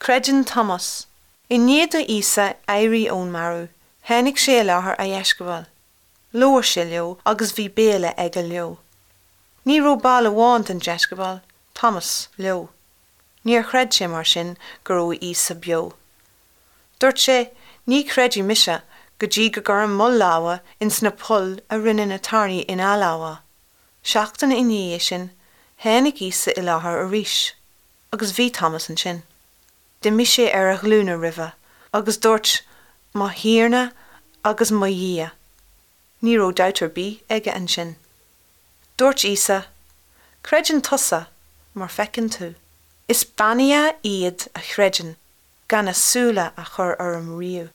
Creideann Tomás. I ndiaidh do Íosa éirí ón marbh, tháinig sé i láthair a dheisceabail. Labhair sé leo agus bhí béile aige leo. Ní raibh ball amháin den deisceabail, Tomás, leo. Níor chreid sé mar sin go raibh Íosa beo. Dúirt sé, Ní chreidfidh mise go dtí go gcuirim mo lámha ins na poill a rinne na tairní ina lámha. Seachtain i ndiaidh sin, tháinig Íosa i láthair arís. Agus bhí Tomás ansin. D'imigh sé ar a ghlúine roimhe agus dúirt, Mo Thiarna agus mo Dhia. Ní raibh dabht ar bith aige ansin. Dúirt Íosa, Creideann tusa mar feiceann tú. Is beannaithe iad a chreideann gan a súile a chur orm riamh.